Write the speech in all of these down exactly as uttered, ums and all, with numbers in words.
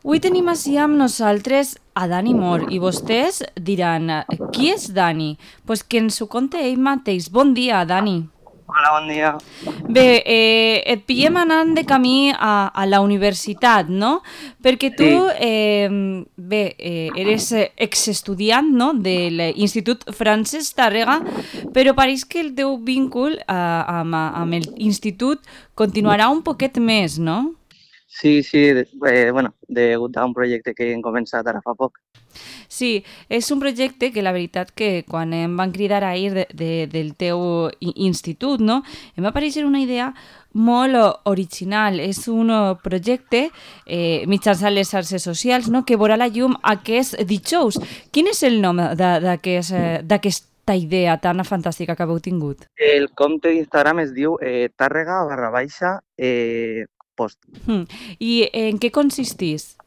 Avui tenim així amb nosaltres a Dani Mor i vostès diran, qui és Dani? Doncs pues que ens ho conte ell mateix. Bon dia, Dani. Hola, bon dia. Bé, eh, et pillem anant de camí a, a la universitat, no? Perquè tu, Sí, eh, bé, eh, eres eh, exestudiant, no?, de l'Institut Francesc Tàrrega, però pareix que el teu víncul eh, amb, amb l'institut continuarà un poquet més, no? sí, sí, de- eh, bueno, degut a un projecte que hem començat ara fa poc. Sí, és un projecte que la veritat que quan em van cridar a ir de, de, del teu i- institut, no? Em va aparèixer una idea molt o- original. És un eh, projecte eh, mitjançant les xarxes socials, no?, que veurà la llum aquest dijous. Quin és el nom de- d'aquest, eh, d'aquesta idea tan fantàstica que haveu tingut? El compte d'Instagram es diu eh, tàrrega barra baixa eh, post. Hmm. I en què consistís?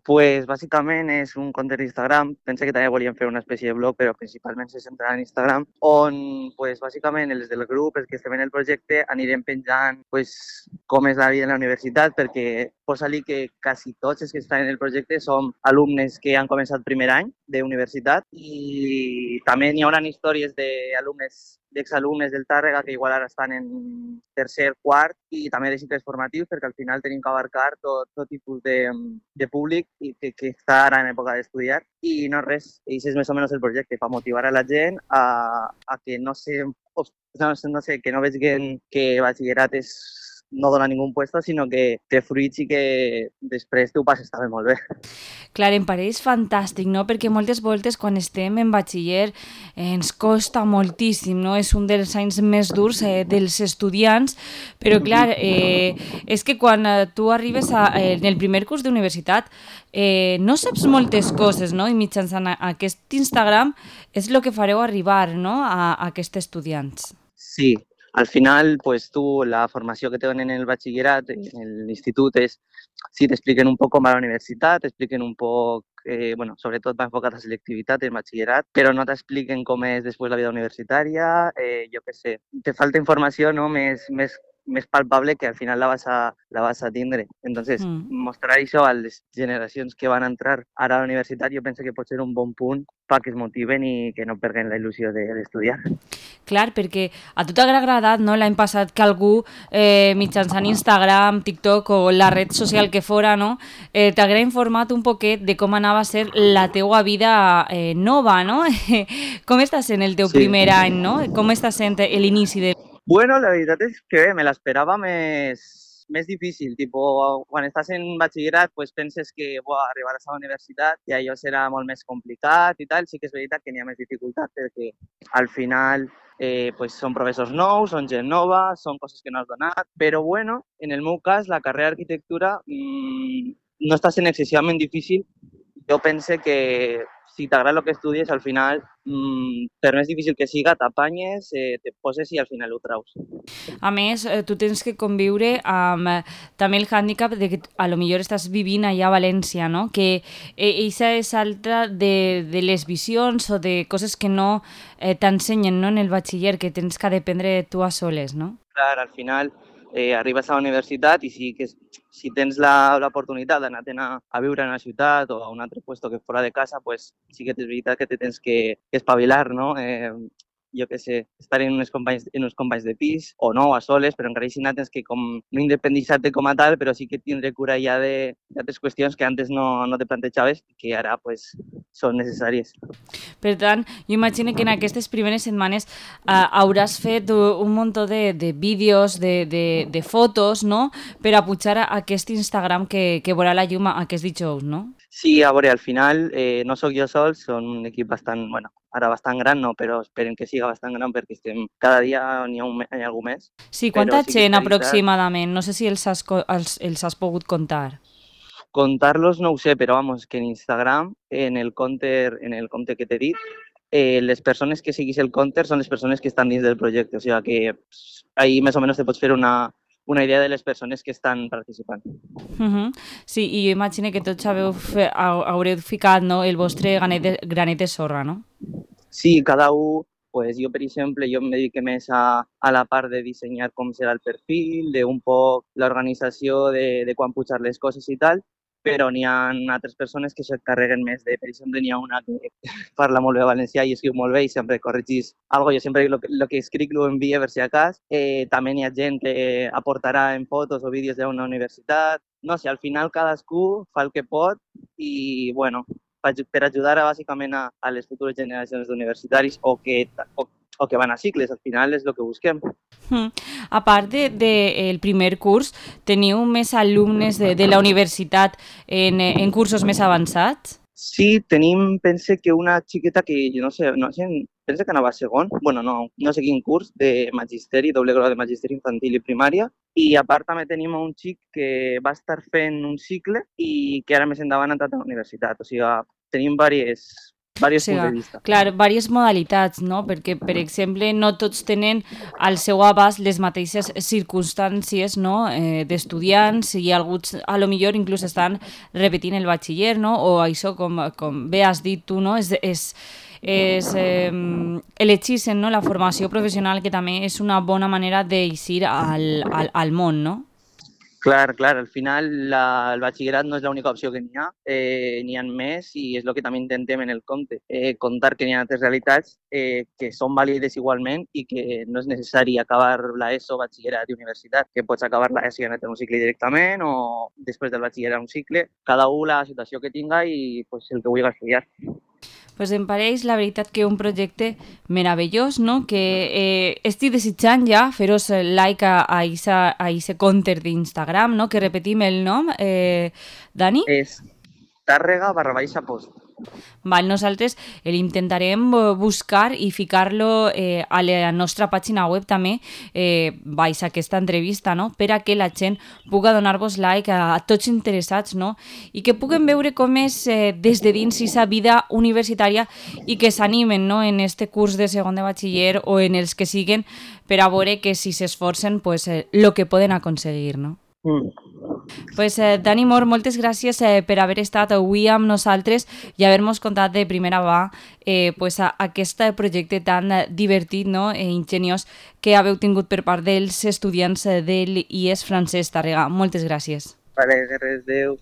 Pues bàsicament és un compte d'Instagram, pensé que també volíem fer una espècie de blog, però principalment se centra en Instagram, on pues, bàsicament els del grup, els que estem en el projecte, anirem penjant pues, com és la vida en la universitat, perquè posa-li que quasi tots els que estan en el projecte som alumnes que han començat primer any d'universitat i també n'hi haurà històries d'alumnes d'exalumnes del Tàrrega que igual ara estan en tercer, quart i també de cicles formatius perquè al final tenim que abarcar tot, tot tipus de, de públic i que, que està ara en època d'estudiar i no res, això és més o menys el projecte, per motivar a la gent a, a que no sé, no, no sé, que no vegin que batxillerat és no dona ningú puesto, sinó que té fruits i que després tu ho passes també molt bé. Clar, em pareix fantàstic, no? Perquè moltes voltes quan estem en batxiller eh, ens costa moltíssim, no? És un dels anys més durs eh, dels estudiants, però clar, eh, és que quan eh, tu arribes a, eh, en el primer curs d'universitat eh, no saps moltes coses, no? I mitjançant a- aquest Instagram és el que fareu arribar, no?, a, a aquests estudiants. Sí, al final, pues tú, la formació que te donen en el batxillerat, en l'institut, és sí, t'expliquen un poc com va la universitat, t'expliquen un poc, eh, bueno, sobretot va enfocat a selectivitat en batxillerat, però no t'expliquen com és després la vida universitària, eh, jo què sé, te falta informació no, més, més, més palpable que al final la vas a, la vas a tindre. Entonces, Mm. mostrar això a les generacions que van entrar ara a la universitat jo penso que pot ser un bon punt perquè es motiven i que no perden la il·lusió d'estudiar. Clar, perquè a tu t'haurà agradat, no?, l'any passat que algú eh, mitjançant Instagram, TikTok o la red social que fora, no?, eh, t'haguera informat un poquet de com anava a ser la teua vida eh, nova, no? Com està sent el teu Sí. primer any, no? Com està sent l'inici de... Bueno, la veritat és que bé, me l'esperava més, més difícil. Tipo, quan estàs en batxillerat pues, penses que buah, arribaràs a la universitat i allò serà molt més complicat i tal. Sí que és veritat que n'hi ha més dificultat perquè al final eh, pues, són professors nous, són gent nova, són coses que no has donat. Però bueno, en el meu cas, la carrera d'arquitectura mmm, no està sent excessivament difícil. Jo pense que si t'agrada el que estudies, al final, mmm, per més difícil que siga, t'apanyes, eh, te poses i al final ho traus. A més, eh, tu tens que conviure amb eh, també el hàndicap de que a lo millor estàs vivint allà a València, no? Que eh, eixa és altra de, de les visions o de coses que no eh, t'ensenyen, no?, en el batxiller, que tens que dependre tu a soles, no? Clar, al final eh, arribes a la universitat i sí que si tens l'oportunitat d'anar a, a viure en una ciutat o a un altre lloc que fora de casa, pues sí que és veritat que te tens que, que espavilar, no? Eh, jo què sé, estar en uns, companys, en uns companys de pis o no, a soles, però encara així tens que com, no independitzar-te com a tal, però sí que tindre cura ja d'altres qüestions que antes no, no te plantejaves i que ara pues, són necessàries. Per tant, jo imagino que en aquestes primeres setmanes eh, hauràs fet un munt de, de vídeos, de, de, de fotos, no?, per a pujar a aquest Instagram que, que veurà la llum aquest dijous, no? Sí, a veure, al final eh, no sóc jo sol, són un equip bastant, bueno, ara bastant gran no, però esperem que siga bastant gran perquè estem cada dia n'hi ha, un, hi ha algú més, Sí, però quanta sí que és gent veritat. aproximadament? No sé si els has, co- els, els has pogut contar. Contar-los no ho sé, però vamos, que en Instagram, en el compte, en el compte que t'he dit, eh, les persones que seguís el compte són les persones que estan dins del projecte, o sigui que pss, ahí més o menys te pots fer una, una idea de les persones que estan participant. Uh -huh. Sí, i jo imagino que tots haveu fe, haureu ficat, no?, el vostre granet de, granet de sorra, no? Sí, cada un, pues jo, per exemple, jo em dedico més a, a la part de dissenyar com serà el perfil, de un poc l'organització de, de quan pujar les coses i tal, però n'hi ha altres persones que s'encarreguen més de, per exemple, n'hi ha una que parla molt bé valencià i escriu molt bé i sempre corregís algo. Jo sempre el que, lo que escric ho envia per si acas. Eh, també n'hi ha gent que aportarà en fotos o vídeos d'una universitat. No sé, al final cadascú fa el que pot i, bueno, per ajudar a, bàsicament a, a les futures generacions d'universitaris o que, o, o que van a cicles, al final és el que busquem. Mm. A part del de, de primer curs, teniu més alumnes de, de la universitat en, en cursos més avançats? Sí, tenim, pense que una xiqueta que, jo no sé, no sé, pense que anava a segon, bueno, no, no sé quin curs, de magisteri, doble grau de magisteri infantil i primària, i a part també tenim un xic que va estar fent un cicle i que ara més endavant ha entrat a la universitat, o sigui, tenim diverses, diversos o sigui, punts de vista. Clar, diverses modalitats, no? Perquè, per exemple, no tots tenen al seu abast les mateixes circumstàncies, no? eh, d'estudiants i alguns, a lo millor, inclús estan repetint el batxiller, no? O això, com, com bé has dit tu, no? És, és, és eh, elegir-se, no? La formació professional, que també és una bona manera d'eixir al, al, al món, no? Clar, clar, al final la, el batxillerat no és l'única opció que n'hi ha, eh, n'hi ha més i és el que també intentem en el compte, eh, contar que n'hi ha altres realitats eh, que són vàlides igualment i que no és necessari acabar l'ESO, batxillerat i universitat, que pots acabar l'ESO i anar a un cicle directament o després del batxillerat un cicle, cada un la situació que tinga i pues, el que vulgui estudiar. Pues em pareix, la veritat, que un projecte meravellós, no? Que eh, estic desitjant ja fer-vos like a aquest compte d'Instagram, no? Que repetim el nom, eh, Dani? És Tàrrega barra baixa post. Val, nosaltres l'intentarem buscar i ficar-lo eh, a la nostra pàgina web també eh, baix aquesta entrevista, no? Per a que la gent pugui donar-vos like a, a tots interessats, no? I que puguem veure com és eh, des de dins aquesta vida universitària i que s'animen, no? En este curs de segon de batxiller o en els que siguen, per a veure que si s'esforcen, pues, eh, lo que poden aconseguir, no? Mm. Pues, eh, Dani Mor, moltes gràcies eh, per haver estat avui amb nosaltres i haver-nos contat de primera mà eh, pues, a, a aquest projecte tan eh, divertit, no? E ingeniós que haveu tingut per part dels estudiants eh, de l'I E S Francesc Tàrrega. Moltes gràcies. Vale, res, adéu.